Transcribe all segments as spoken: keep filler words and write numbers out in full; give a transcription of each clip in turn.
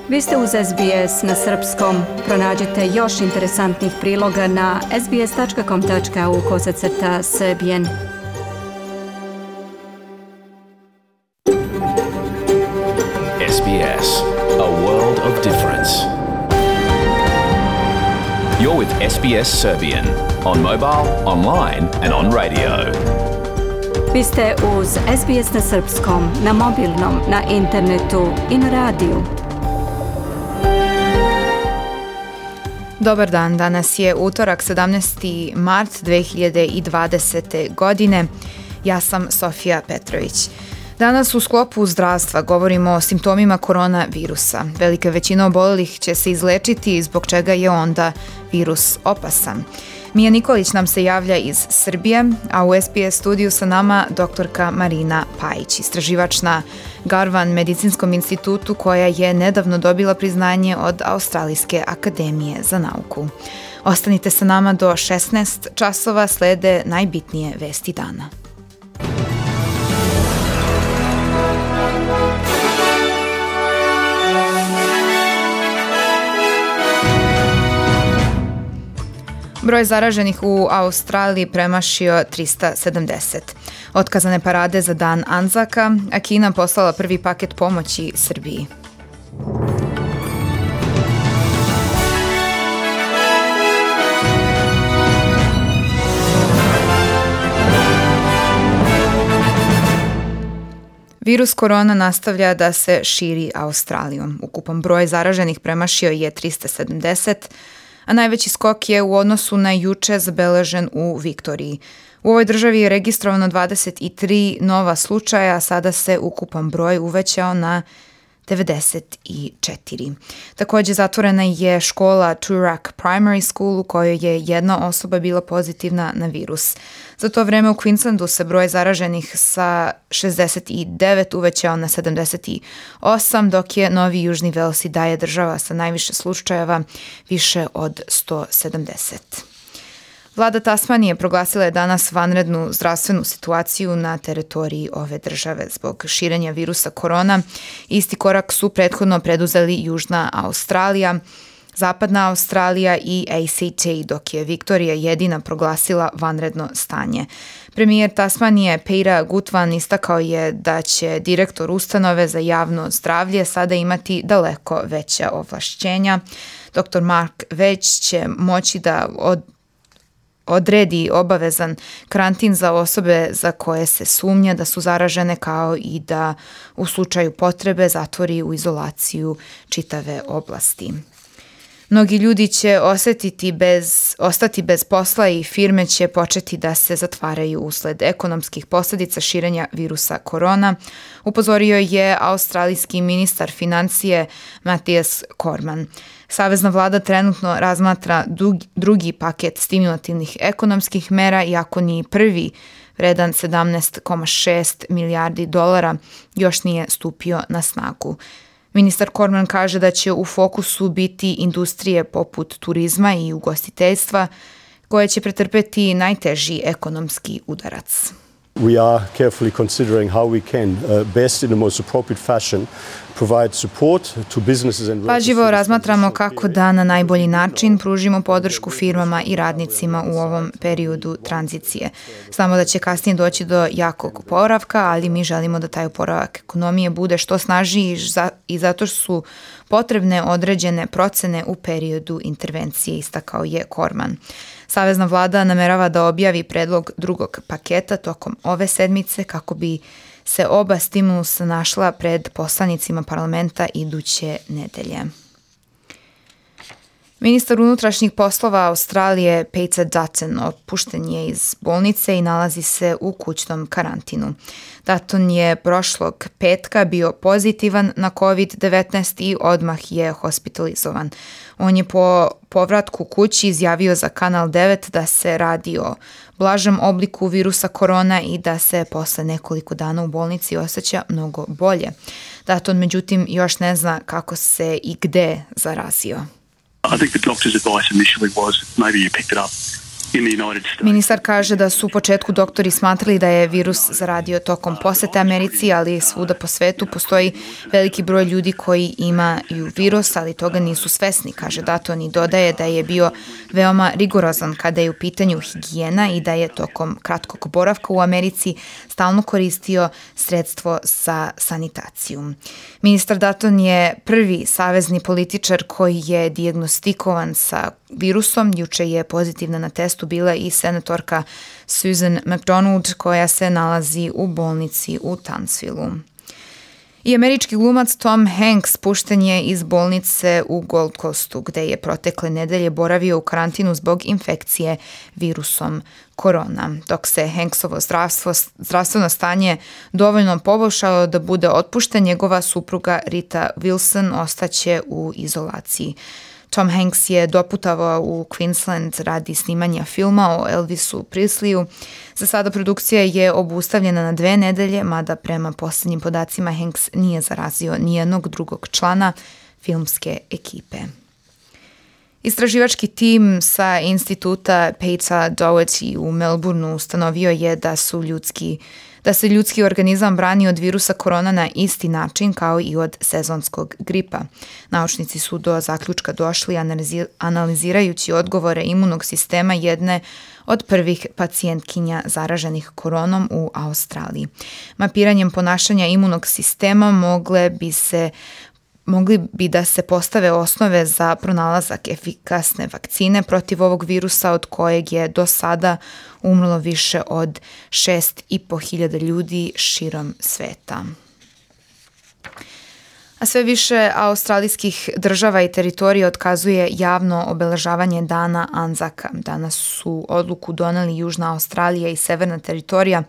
Vi ste uz S B S na srpskom. Pronađite još interesantnih priloga na sbs.com.au kosacrta srbijen. S B S, a world of difference. You're with S B S Serbian on mobile, online and on radio. Vi ste uz S B S na srpskom, na mobilnom, na internetu i na radiju. Dobar dan, danas je utorak sedamnaesti mart dve hiljade dvadesete. godine. Ja sam Sofija Petrović. Danas u sklopu zdravstva govorimo o simptomima koronavirusa. Velika većina obolelih će se izlečiti, zbog čega je onda virus opasan. Mija Nikolić nam se javlja iz Srbije, a u S B S studiju sa nama doktorka Marina Pajić, istraživač na Garvan medicinskom institutu koja je nedavno dobila priznanje od Australijske akademije za nauku. Ostanite sa nama do šesnaest časova, slede najbitnije vesti dana. Broj zaraženih u Australiji premašio trista sedamdeset. Otkazane parade za dan Anzaka, a Kina poslala prvi paket pomoći Srbiji. Virus korona nastavlja da se širi Australijom. Ukupan broj zaraženih premašio je trista sedamdeset, a najveći skok je u odnosu na juče zabeležen u Viktoriji. U ovoj državi je registrovano dvadeset tri nova slučaja, a sada se ukupan broj uvećao na devedeset četiri. Također zatvorena je škola Toorak Primary School u kojoj je jedna osoba bila pozitivna na virus. Za to vreme u Queenslandu se broj zaraženih sa šezdeset devet uvećao na sedamdeset osam, dok je Novi Južni Vels i dalje država sa najviše slučajeva, više od sto sedamdeset. Vlada Tasmanije proglasila je danas vanrednu zdravstvenu situaciju na teritoriji ove države zbog širenja virusa korona. Isti korak su prethodno preduzeli Južna Australija, Zapadna Australija i A C T, dok je Viktorija jedina proglasila vanredno stanje. Premijer Tasmanije Peter Gutvan istakao je da će direktor ustanove za javno zdravlje sada imati daleko veća ovlašćenja. doktor Mark Već će moći da od odredi obavezan karantin za osobe za koje se sumnja da su zaražene, kao i da u slučaju potrebe zatvori u izolaciju čitave oblasti. Mnogi ljudi će osjetiti bez, ostati bez posla i firme će početi da se zatvaraju usled ekonomskih posljedica širenja virusa korona, upozorio je australijski ministar financije Matthias Cormann. Savezna vlada trenutno razmatra drugi, drugi paket stimulativnih ekonomskih mera, iako ni prvi, vredan sedamnaest zarez šest milijardi dolara, još nije stupio na snagu. Ministar Cormann kaže da će u fokusu biti industrije poput turizma i ugostiteljstva, koje će pretrpeti najteži ekonomski udarac. We are carefully considering how we can uh, best in the most appropriate fashion provide support to businesses and workers. Pažljivo razmatramo kako da na najbolji način pružimo podršku firmama i radnicima u ovom periodu tranzicije. Znamo da će kasnije doći do jakog oporavka, ali mi želimo da taj oporavak ekonomije bude što snažniji i zato su potrebne određene procene u periodu intervencije, istakao je Cormann. Savezna vlada namerava da objavi predlog drugog paketa tokom ove sedmice kako bi se oba stimulusa našla pred poslanicima parlamenta iduće nedelje. Ministar unutrašnjih poslova Australije Peter Dutton otpušten je iz bolnice i nalazi se u kućnom karantinu. Dutton je prošlog petka bio pozitivan na kovid devetnaest i odmah je hospitalizovan. On je po povratku kući izjavio za Kanal devet da se radi o blažem obliku virusa korona i da se posle nekoliko dana u bolnici osjeća mnogo bolje. Dutton međutim još ne zna kako se i gde zarazio. I think the doctor's advice initially was maybe you picked it up Ministar kaže da su u početku doktori smatrali da je virus zaradio tokom posete Americi, ali svuda po svetu postoji veliki broj ljudi koji imaju virus, ali toga nisu svesni, kaže Dutton, i dodaje da je bio veoma rigorozan kada je u pitanju higijena i da je tokom kratkog boravka u Americi stalno koristio sredstvo za sanitaciju. Ministar Dutton je prvi savezni političar koji je dijagnostikovan sa virusom. Juče je pozitivna na testu bila i senatorka Susan McDonald koja se nalazi u bolnici u Townsvillu. I američki glumac Tom Hanks pušten je iz bolnice u Gold Coastu, gde je protekle nedelje boravio u karantinu zbog infekcije virusom korona. Dok se Hanksovo zdravstvo, zdravstveno stanje dovoljno poboljšalo da bude otpušten, njegova supruga Rita Wilson ostaće u izolaciji. Tom Hanks je doputovao u Queensland radi snimanja filma o Elvisu Presleyu. Za sada produkcija je obustavljena na dve nedelje, mada prema posljednjim podacima Hanks nije zarazio nijednog drugog člana filmske ekipe. Istraživački tim sa instituta Peter Doherty u Melbourneu ustanovio je da su ljudski da se ljudski organizam brani od virusa korona na isti način kao i od sezonskog gripa. Naučnici su do zaključka došli analizirajući odgovore imunog sistema jedne od prvih pacijentkinja zaraženih koronom u Australiji. Mapiranjem ponašanja imunog sistema mogle bi se Mogli bi da se postave osnove za pronalazak efikasne vakcine protiv ovog virusa od kojeg je do sada umrlo više od šest i po hiljada ljudi širom sveta. A sve više australijskih država i teritorija otkazuje javno obeležavanje dana Anzaka. Danas su odluku doneli Južna Australija i Severna teritorija,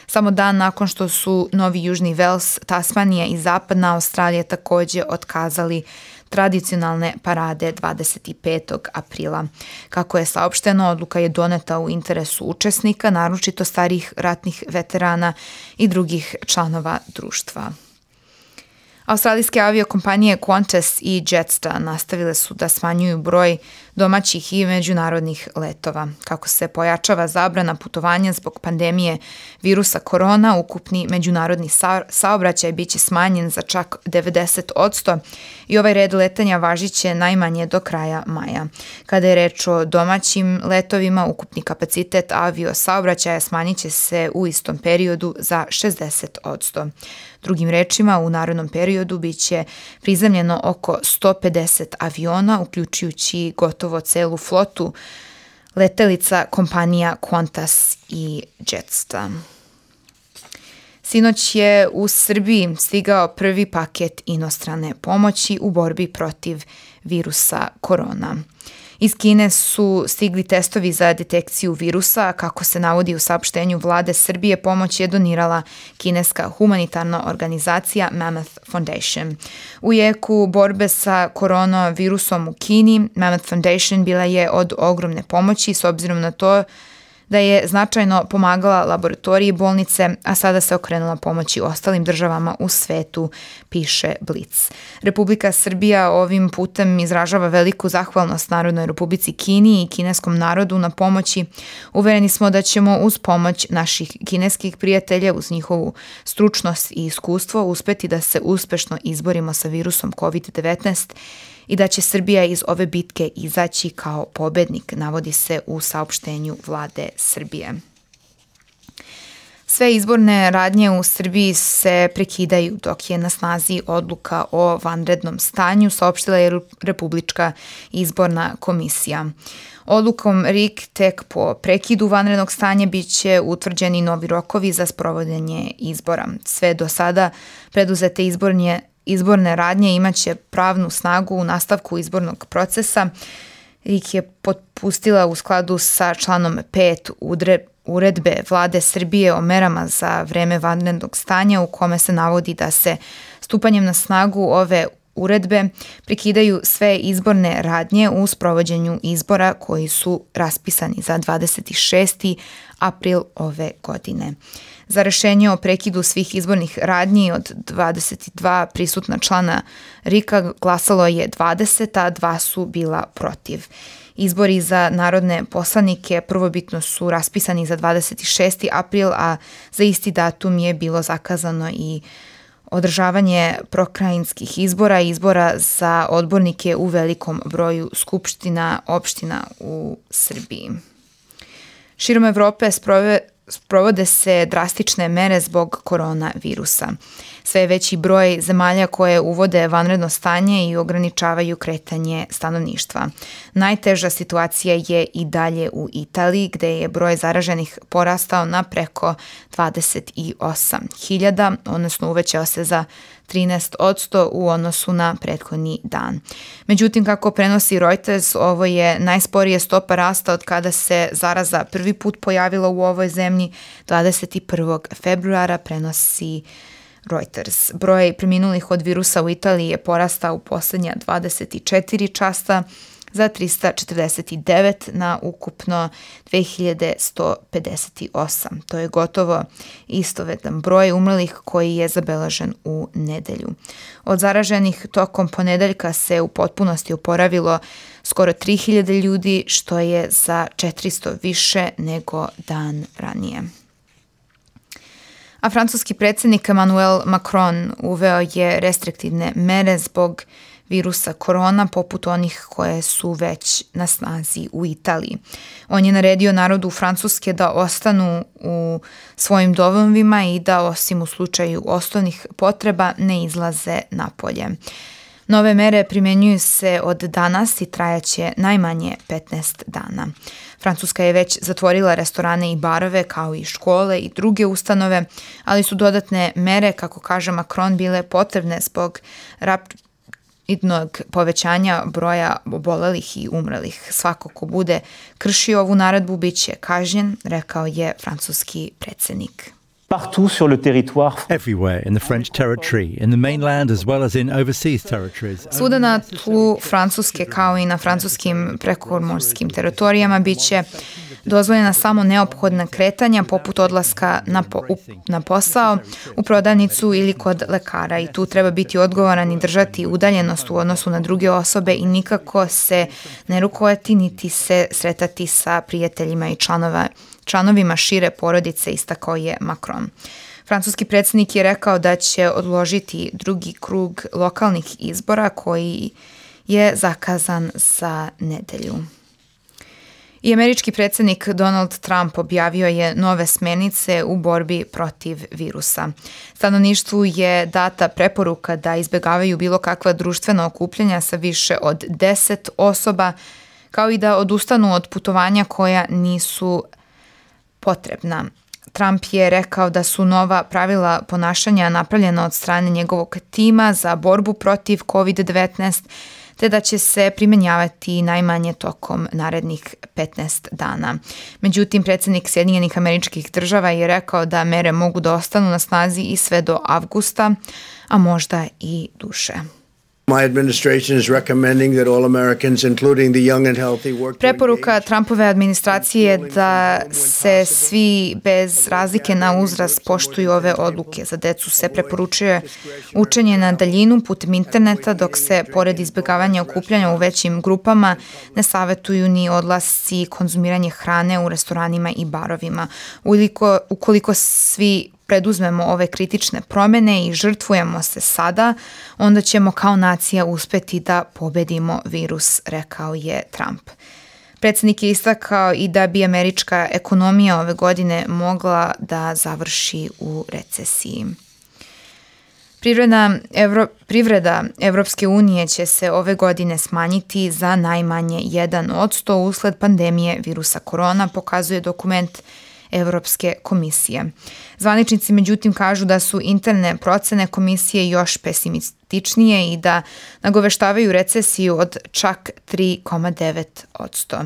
samo dan nakon što su Novi Južni Vels, Tasmanija i Zapadna Australija također otkazali tradicionalne parade dvadeset petog aprila. Kako je saopšteno, odluka je doneta u interesu učesnika, naročito starih ratnih veterana i drugih članova društva. Australijske aviokompanije Qantas i Jetstar nastavile su da smanjuju broj domaćih i međunarodnih letova. Kako se pojačava zabrana putovanja zbog pandemije virusa korona, ukupni međunarodni sa- saobraćaj biće smanjen za čak devedeset posto i ovaj red letanja važiće najmanje do kraja maja. Kada je reč o domaćim letovima, ukupni kapacitet avio saobraćaja smanjit će se u istom periodu za šezdeset posto. Drugim rečima, u narednom periodu biće prizemljeno oko sto pedeset aviona, uključujući gotovo celu flotu letelica kompanija Qantas i Jetstar. Sinoć je u Srbiji stigao prvi paket inostrane pomoći u borbi protiv virusa korona. Iz Kine su stigli testovi za detekciju virusa. Kako se navodi u saopštenju vlade Srbije, pomoć je donirala kineska humanitarna organizacija Mammoth Foundation. U jeku borbe sa koronavirusom u Kini, Mammoth Foundation bila je od ogromne pomoći s obzirom na to da je značajno pomagala laboratoriji bolnice, a sada se okrenula pomoći ostalim državama u svetu, piše Blic. Republika Srbija ovim putem izražava veliku zahvalnost Narodnoj Republici Kini i kineskom narodu na pomoći. Uvereni smo da ćemo uz pomoć naših kineskih prijatelja, uz njihovu stručnost i iskustvo, uspeti da se uspešno izborimo sa virusom kovid devetnaest i da će Srbija iz ove bitke izaći kao pobednik, navodi se u saopštenju vlade Srbije. Sve izborne radnje u Srbiji se prekidaju dok je na snazi odluka o vanrednom stanju, saopštila je Republička izborna komisija. Odlukom R I K tek po prekidu vanrednog stanja biće utvrđeni novi rokovi za sprovođenje izbora. Sve do sada preduzete izbornje Izborne radnje imaće pravnu snagu u nastavku izbornog procesa. R I K je potpustila u skladu sa članom pet uredbe vlade Srbije o merama za vreme vanrednog stanja u kome se navodi da se stupanjem na snagu ove uredbe prekidaju sve izborne radnje u sprovođenju izbora koji su raspisani za dvadeset šesti april ove godine. Za rešenje o prekidu svih izbornih radnji od dvadeset dva prisutna člana R I K-a glasalo je dvadeset, a dva su bila protiv. Izbori za narodne poslanike prvobitno su raspisani za dvadeset šesti april, a za isti datum je bilo zakazano i održavanje prokrajinskih izbora i izbora za odbornike u velikom broju skupština opština u Srbiji. Širom Evrope sprove, sprovode se drastične mere zbog koronavirusa. Sve je veći broj zemalja koje uvode vanredno stanje i ograničavaju kretanje stanovništva. Najteža situacija je i dalje u Italiji, gde je broj zaraženih porastao na preko dvadeset osam hiljada, odnosno uvećao se za trinaest posto u odnosu na prethodni dan. Međutim, kako prenosi Reuters, ovo je najsporije stopa rasta od kada se zaraza prvi put pojavila u ovoj zemlji dvadeset prvog februara, prenosi Reuters. Broj preminulih od virusa u Italiji je porastao u poslednja dvadeset četiri časa za trista četrdeset devet na ukupno dve hiljade sto pedeset osam. To je gotovo istovetan broj umrlih koji je zabeležen u nedelju. Od zaraženih tokom ponedeljka se u potpunosti oporavilo skoro tri hiljade ljudi, što je za četiristo više nego dan ranije. A francuski predsjednik Emmanuel Macron uveo je restriktivne mere zbog virusa korona, poput onih koje su već na snazi u Italiji. On je naredio narodu Francuske da ostanu u svojim domovima i da, osim u slučaju osnovnih potreba, ne izlaze napolje. Nove mere primjenjuju se od danas i trajaće najmanje petnaest dana. Francuska je već zatvorila restorane i barove, kao i škole i druge ustanove, ali su dodatne mere, kako kaže Macron, bile potrebne zbog rapidnog povećanja broja obolelih i umrlih. Svako ko bude kršio ovu naredbu bit će kažnjen, rekao je francuski predsjednik. Partout sur le territoire. Everywhere in the French territory, in the mainland as well as in overseas territories. Svuda na tlu Francuske kao i na francuskim prekomorskim teritorijama biće dozvoljena samo neophodna kretanja poput odlaska na, po, u, na posao, u prodavnicu ili kod lekara, i tu treba biti odgovoran i držati udaljenost u odnosu na druge osobe i nikako se ne rukovati niti se sretati sa prijateljima i članova članovima šire porodice, istakao je Macron. Francuski predsjednik je rekao da će odložiti drugi krug lokalnih izbora koji je zakazan za nedelju. I američki predsjednik Donald Trump objavio je nove smernice u borbi protiv virusa. Stanovništvu je data preporuka da izbjegavaju bilo kakva društvena okupljanja sa više od deset osoba, kao i da odustanu od putovanja koja nisu potrebna. Trump je rekao da su nova pravila ponašanja napravljena od strane njegovog tima za borbu protiv kovid devetnaest, te da će se primjenjavati najmanje tokom narednih petnaest dana. Međutim, predsjednik Sjedinjenih Američkih Država je rekao da mere mogu da ostanu na snazi i sve do avgusta, a možda i duže. Preporuka Trumpove administracije je da se svi bez razlike na uzrast poštuju ove odluke. Za decu se preporučuje učenje na daljinu putem interneta, dok se, pored izbjegavanja okupljanja u većim grupama, ne savetuju ni odlasci i konzumiranje hrane u restoranima i barovima. Ukoliko, ukoliko svi preduzmemo ove kritične promjene i žrtvujemo se sada, onda ćemo kao nacija uspeti da pobedimo virus, rekao je Trump. Predsjednik je istakao i da bi američka ekonomija ove godine mogla da završi u recesiji. Privreda, Evro, privreda Evropske unije će se ove godine smanjiti za najmanje jedan posto usled pandemije virusa korona, pokazuje dokument Evropske komisije. Zvaničnici međutim kažu da su interne procene komisije još pesimističnije i da nagoveštavaju recesiju od čak tri zarez devet posto.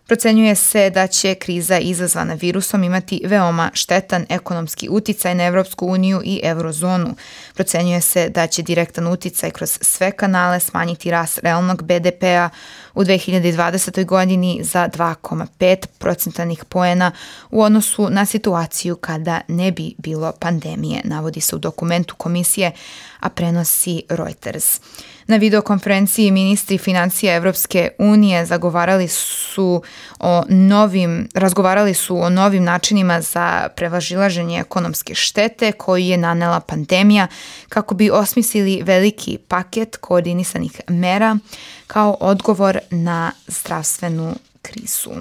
Procenjuje se da će kriza izazvana virusom imati veoma štetan ekonomski uticaj na Evropsku uniju i eurozonu. Procenjuje se da će direktan uticaj kroz sve kanale smanjiti rast realnog be de pea u dve hiljade dvadesetoj. godini za dva zarez pet procentualnih poena u odnosu na situaciju kada ne bi bilo pandemije, navodi se u dokumentu komisije, a prenosi Reuters. Na videokonferenciji ministri financija Evropske unije zagovarali su o novim, razgovarali su o novim načinima za prevazilaženje ekonomske štete koju je nanela pandemija kako bi osmislili veliki paket koordinisanih mera kao odgovor na zdravstvenu krizu.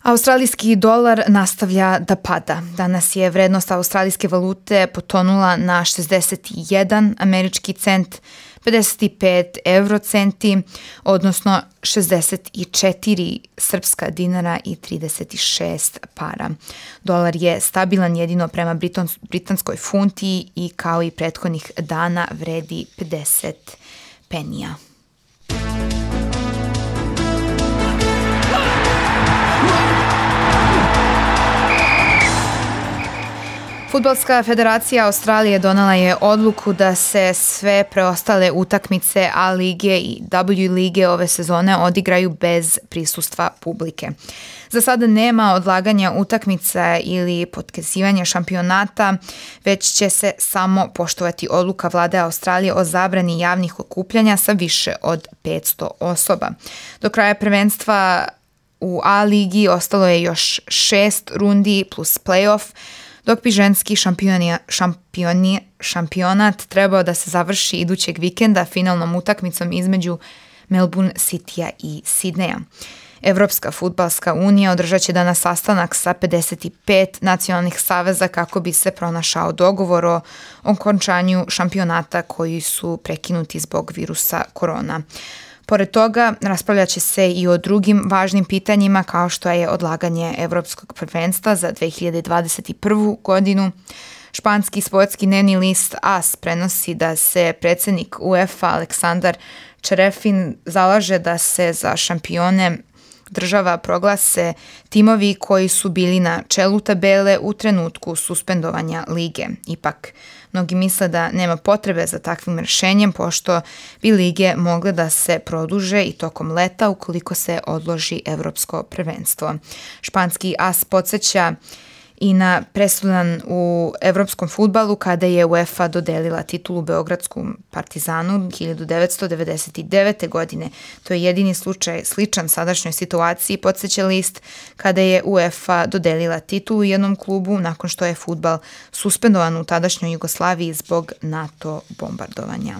Australijski dolar nastavlja da pada. Danas je vrednost australijske valute potonula na šezdeset jedan američki cent, pedeset pet eurocenti, odnosno šezdeset četiri srpska dinara i trideset šest para. Dolar je stabilan jedino prema britanskoj funti i kao i prethodnih dana vredi pedeset penija. Fudbalska federacija Australije donela je odluku da se sve preostale utakmice A lige i W lige ove sezone odigraju bez prisustva publike. Za sada nema odlaganja utakmica ili potkazivanja šampionata, već će se samo poštovati odluka vlade Australije o zabrani javnih okupljanja sa više od petsto osoba. Do kraja prvenstva u A ligi ostalo je još šest rundi plus play-off, dok bi ženski šampioni, šampioni, šampionat trebao da se završi idućeg vikenda finalnom utakmicom između Melbourne Citya i Sidneja. Evropska fudbalska unija održat će danas sastanak sa pedeset pet nacionalnih saveza kako bi se pronašao dogovor o okončanju šampionata koji su prekinuti zbog virusa korona. Pored toga, raspravljat će se i o drugim važnim pitanjima kao što je odlaganje Evropskog prvenstva za dve hiljade dvadeset prvu. godinu. Španski sportski dnevni list A S prenosi da se predsjednik UEFA Aleksandar Čerefin zalaže da se za šampione država proglase timovi koji su bili na čelu tabele u trenutku suspendovanja lige. Ipak, mnogi misle da nema potrebe za takvim rješenjem pošto bi lige mogle da se produže i tokom leta ukoliko se odloži evropsko prvenstvo. Španski A S podsjeća i na presudan u evropskom fudbalu kada je UEFA dodelila titulu Beogradskom Partizanu hiljadu devetsto devedeset devete. godine. To je jedini slučaj sličan sadašnjoj situaciji, podsjeća list, kada je UEFA dodelila titulu jednom klubu nakon što je fudbal suspendovan u tadašnjoj Jugoslaviji zbog NATO bombardovanja.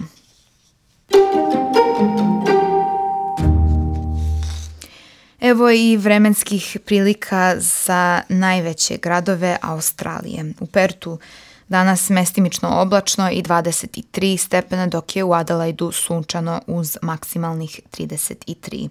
Evo i vremenskih prilika za najveće gradove Australije. U Pertu danas mestimično oblačno i dvadeset tri stepena, dok je u Adelaidu sunčano uz maksimalnih trideset tri.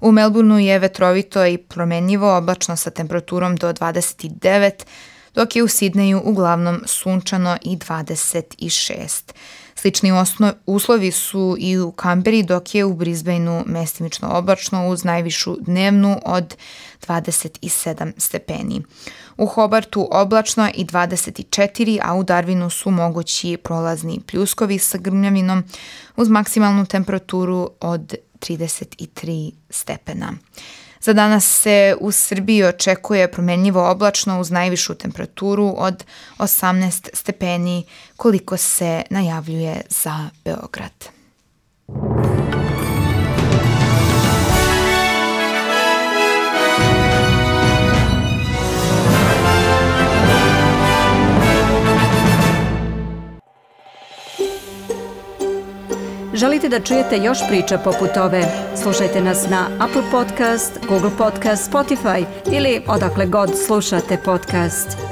U Melbourneu je vetrovito i promenljivo oblačno sa temperaturom do dvadeset devet, dok je u Sidneju uglavnom sunčano i dvadeset šest. Slični osno, uslovi su i u Kamberi, dok je u Brisbaneu mestimično oblačno uz najvišu dnevnu od dvadeset sedam stepeni. U Hobartu oblačno i dvadeset četiri, a u Darwinu su mogući prolazni pljuskovi sa grmljavinom uz maksimalnu temperaturu od trideset tri stepena. Za danas se u Srbiji očekuje promenljivo oblačno uz najvišu temperaturu od osamnaest stepeni koliko se najavljuje za Beograd. Želite da čujete još priča poput ove? Slušajte nas na Apple Podcast, Google Podcast, Spotify ili odakle god slušate podcast.